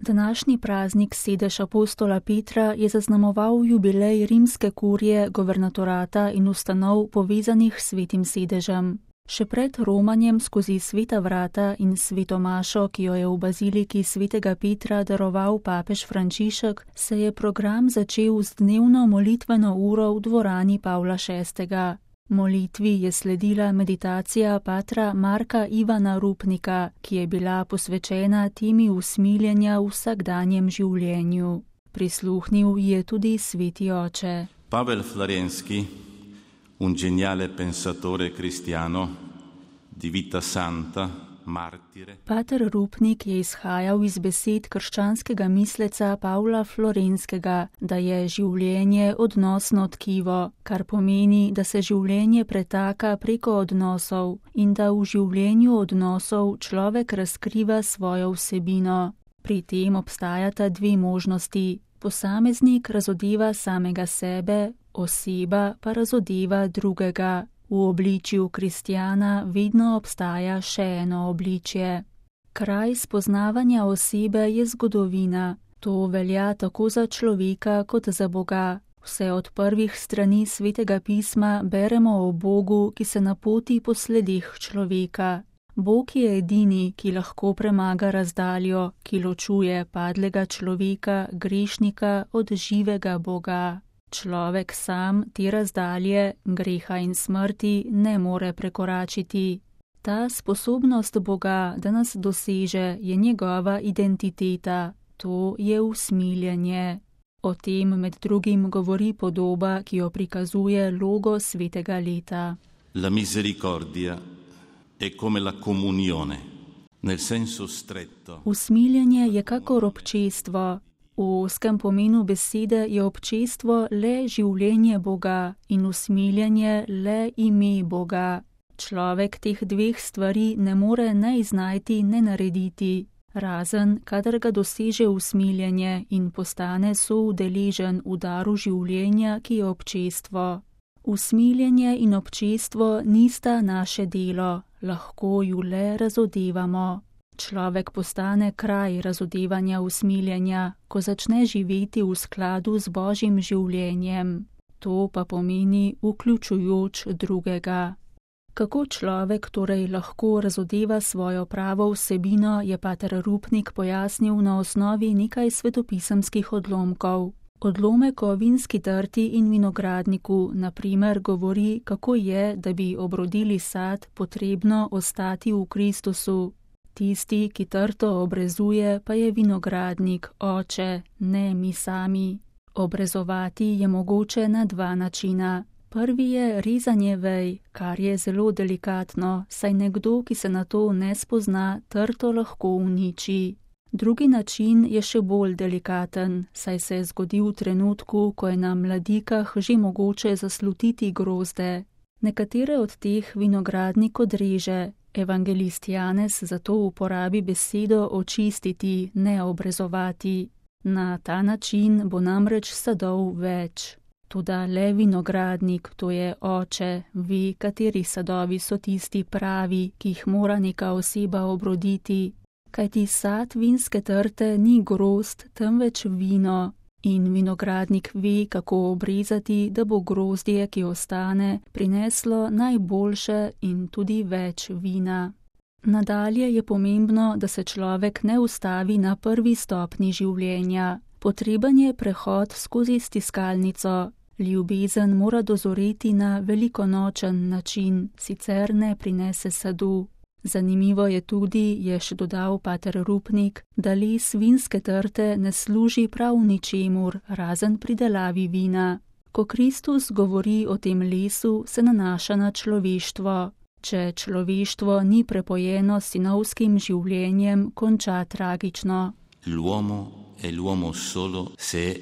Današnji praznik sedež apostola Petra je zaznamoval jubilej rimske kurije, governatorata in ustanov povezanih s svetim sedežem. Še pred romanjem skozi sveta vrata in sveto mašo, ki jo je v baziliki svetega Petra daroval papež Frančišek, se je program začel z dnevno molitveno uro v dvorani Pavla VI. Molitvi je sledila meditacija patra Marka Ivana Rupnika, ki je bila posvečena temi usmiljenja v vsakdanjem življenju. Prisluhnil je tudi sveti oče. Pavel Florenski, un geniale pensatore cristiano di vita santa, martire. Pater Rupnik je izhajal iz besed krščanskega misleca Pavla Florenskega, da je življenje odnosno tkivo, kar pomeni, da se življenje pretaka preko odnosov in da v življenju odnosov človek razkriva svojo vsebino. Pri tem obstajata dve možnosti. Posameznik razodeva samega sebe, oseba pa razodeva drugega. V obličju kristjana vedno obstaja še eno obličje. Kraj spoznavanja osebe je zgodovina. To velja tako za človeka kot za Boga. Vse od prvih strani svetega pisma beremo o Bogu, ki se napoti po sledeh človeka. Bog je edini, ki lahko premaga razdaljo, ki ločuje padlega človeka, grešnika od živega Boga. Človek sam te razdalje, greha in smrti, ne more prekoračiti. Ta sposobnost Boga, da nas doseže, je njegova identiteta. To je usmiljenje. O tem med drugim govori podoba, ki jo prikazuje logo svetega leta. La misericordia è come la comunione, nel senso stretto. Usmiljenje je kakor občestvo. V ozkem pomenu besede je občestvo le življenje Boga in usmiljenje le ime Boga. Človek teh dveh stvari ne more ne iznajti, ne narediti, razen kadar ga doseže usmiljenje in postane soudeležen v daru življenja, ki je občestvo. Usmiljenje in občestvo nista naše delo, lahko ju le razodevamo. Človek postane kraj razodevanja usmiljenja, ko začne živeti v skladu z Božjim življenjem. To pa pomeni vključujoč drugega. Kako človek torej lahko razodeva svojo pravo vsebino, je pater Rupnik pojasnil na osnovi nekaj svetopisemskih odlomkov. Odlomek o vinski trti in vinogradniku, na primer, govori, kako je, da bi obrodili sad, potrebno ostati v Kristusu. Tisti, ki trto obrezuje, pa je vinogradnik, oče, ne mi sami. Obrezovati je mogoče na dva načina. Prvi je rezanje vej, kar je zelo delikatno, saj nekdo, ki se na to ne spozna, trto lahko uniči. Drugi način je še bolj delikaten, saj se zgodi v trenutku, ko je na mladikah že mogoče zaslutiti grozde. Nekatere od teh vinogradnik odreže. Evangelist Janez zato uporabi besedo očistiti, ne obrezovati. Na ta način bo namreč sadov več. Toda le vinogradnik, to je oče, ve, kateri sadovi so tisti pravi, ki jih mora neka oseba obroditi. Kajti sad vinske trte ni grozd, temveč vino. In vinogradnik ve, kako obrezati, da bo grozdje, ki ostane, prineslo najboljše in tudi več vina. Nadalje je pomembno, da se človek ne ustavi na prvi stopni življenja. Potreben je prehod skozi stiskalnico. Ljubezen mora dozoreti na velikonočen način, sicer ne prinese sadu. Zanimivo je tudi, je še dodal pater Rupnik, da les vinske trte ne služi prav ničemur, razen pridelavi vina. Ko Kristus govori o tem lesu, se nanaša na človeštvo. Če človeštvo ni prepojeno s sinovskim življenjem, konča tragično. L'uomo è l'uomo solo se è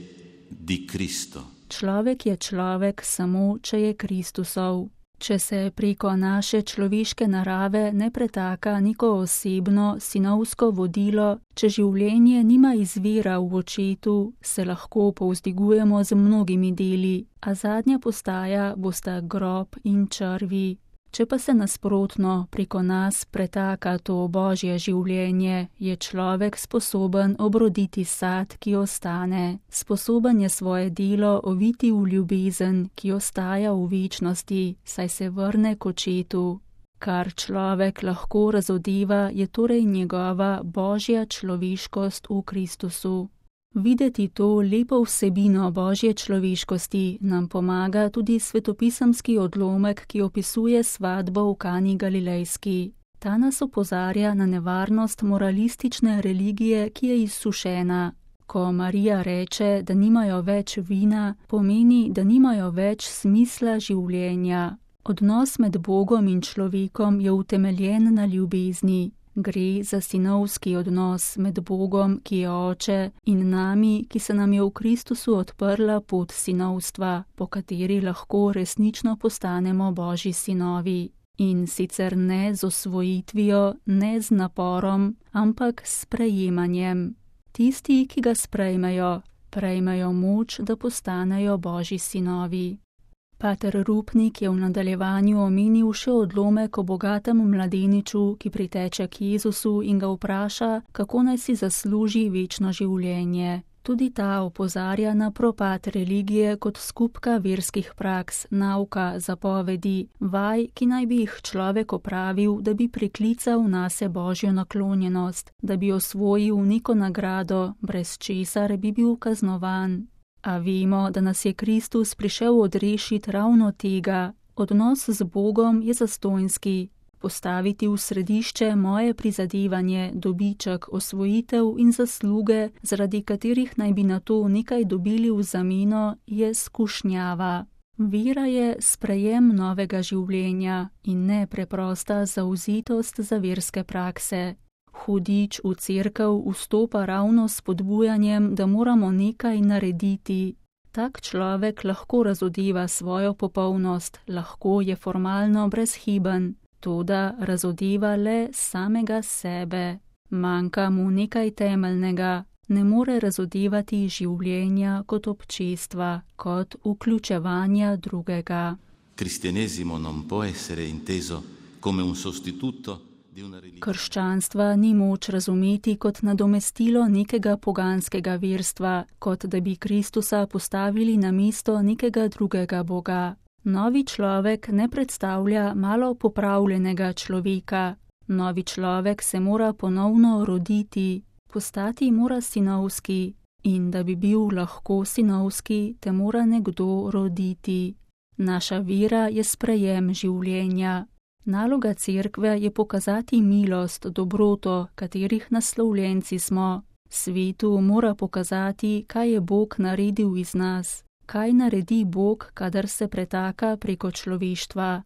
di Cristo. Človek je človek samo, če je Kristusov. Če se preko naše človeške narave ne pretaka neko osebno, sinovsko vodilo, če življenje nima izvira v očetu, se lahko povzdigujemo z mnogimi deli, a zadnja postaja bosta grob in črvi. Če pa se nasprotno preko nas pretaka to Božje življenje, je človek sposoben obroditi sad, ki ostane. Sposoben je svoje delo oviti v ljubezen, ki ostaja v večnosti, saj se vrne k očetu. Kar človek lahko razodeva, je torej njegova Božja človeškost v Kristusu. Videti to lepo vsebino Božje človeškosti nam pomaga tudi svetopisemski odlomek, ki opisuje svatbo v Kani Galilejski. Ta nas opozarja na nevarnost moralistične religije, ki je izsušena. Ko Marija reče, da nimajo več vina, pomeni, da nimajo več smisla življenja. Odnos med Bogom in človekom je utemeljen na ljubezni. Gre za sinovski odnos med Bogom, ki je oče, in nami, ki se nam je v Kristusu odprla pot sinovstva, po kateri lahko resnično postanemo Božji sinovi. In sicer ne z osvojitvijo, ne z naporom, ampak s sprejemanjem. Tisti, ki ga sprejmejo, prejmejo moč, da postanejo Božji sinovi. Pater Rupnik je v nadaljevanju omenil še odlomek o bogatem mladeniču, ki priteče k Jezusu in ga vpraša, kako naj si zasluži večno življenje. Tudi ta opozarja na propad religije kot skupka verskih praks, nauka, zapovedi, vaj, ki naj bi jih človek opravil, da bi priklical nase Božjo naklonjenost, da bi osvojil neko nagrado, brez česar bi bil kaznovan. A vemo, da nas je Kristus prišel odrešiti ravno tega. Odnos z Bogom je zastonjski. Postaviti v središče moje prizadevanje, dobiček, osvojitev in zasluge, zaradi katerih naj bi na to nekaj dobili v zameno, je skušnjava. Vera je sprejem novega življenja in ne preprosta zavzetost za verske prakse. Hudič v cerkev vstopa ravno s spodbujanjem, da moramo nekaj narediti. Tak človek lahko razodeva svojo popolnost, lahko je formalno brezhiben, toda razodeva le samega sebe. Manjka mu nekaj temeljnega, ne more razodevati življenja kot občestva, kot vključevanja drugega. Cristianesimo non può essere inteso come un sostituto. Krščanstva ni moč razumeti kot nadomestilo nekega poganskega verstva, kot da bi Kristusa postavili na mesto nekega drugega Boga. Novi človek ne predstavlja malo popravljenega človeka. Novi človek se mora ponovno roditi, postati mora sinovski, in da bi bil lahko sinovski, te mora nekdo roditi. Naša vera je sprejem življenja. Naloga cerkve je pokazati milost, dobroto, katerih naslovljenci smo. Svetu mora pokazati, kaj je Bog naredil iz nas. Kaj naredi Bog, kadar se pretaka preko človeštva.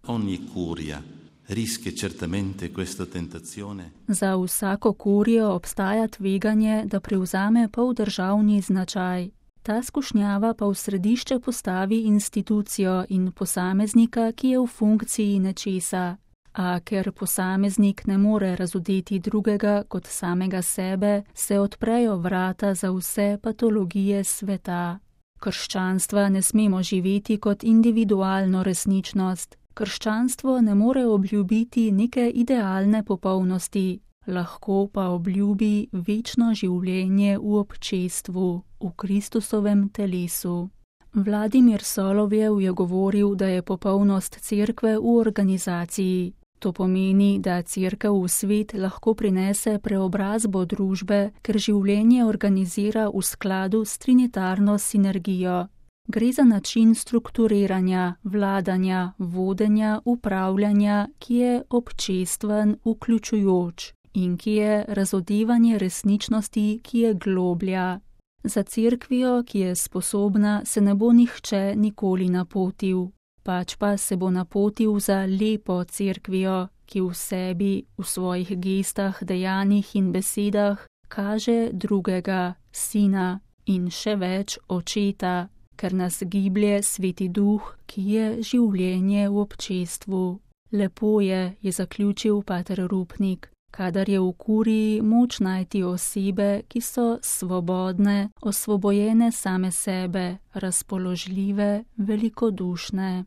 Za vsako kurijo obstaja tveganje, da prevzame poldržavni značaj. Ta skušnjava pa v središče postavi institucijo in posameznika, ki je v funkciji nečesa. A ker posameznik ne more razodeti drugega kot samega sebe, se odprejo vrata za vse patologije sveta. Krščanstva ne smemo živeti kot individualno resničnost. Krščanstvo ne more obljubiti neke idealne popolnosti, lahko pa obljubi večno življenje v občestvu, v Kristusovem telesu. Vladimir Solovjev je govoril, da je popolnost cerkve v organizaciji. To pomeni, da cerkev v svet lahko prinese preobrazbo družbe, ker življenje organizira v skladu s trinitarno sinergijo. Gre za način strukturiranja, vladanja, vodenja, upravljanja, ki je občestven, vključujoč in ki je razodevanje resničnosti, ki je globlja. Za cerkvijo, ki je sposobna, se ne bo nihče nikoli napotil. Pač pa se bo napotil za lepo cerkvijo, ki v sebi, v svojih gestah, dejanjih in besedah kaže drugega, sina in še več očeta, ker nas giblje Sveti Duh, ki je življenje v občestvu. Lepo je zaključil pater Rupnik, kadar je v kuriji moč najti osebe, ki so svobodne, osvobojene same sebe, razpoložljive, velikodušne.